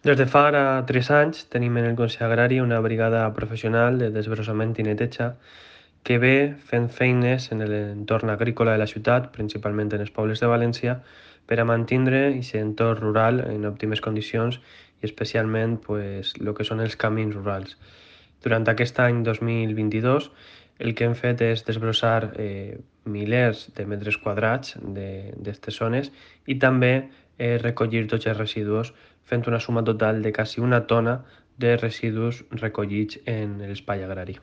Des de fa ara 3 anys tenim en el Consell Agrari una brigada professional de desbrossament i neteja que ve fent feines en l'entorn agrícola de la ciutat, principalment en els pobles de València, per a mantenir aquest entorn rural en òptimes condicions i especialment el que són els camins rurals. Durant aquest any 2022 el que hem fet és desbrossar milers de metres quadrats d'aquestes zones i també recollir tots els residus fent una suma total de quasi una tona de residus recollits en l'espai agrari.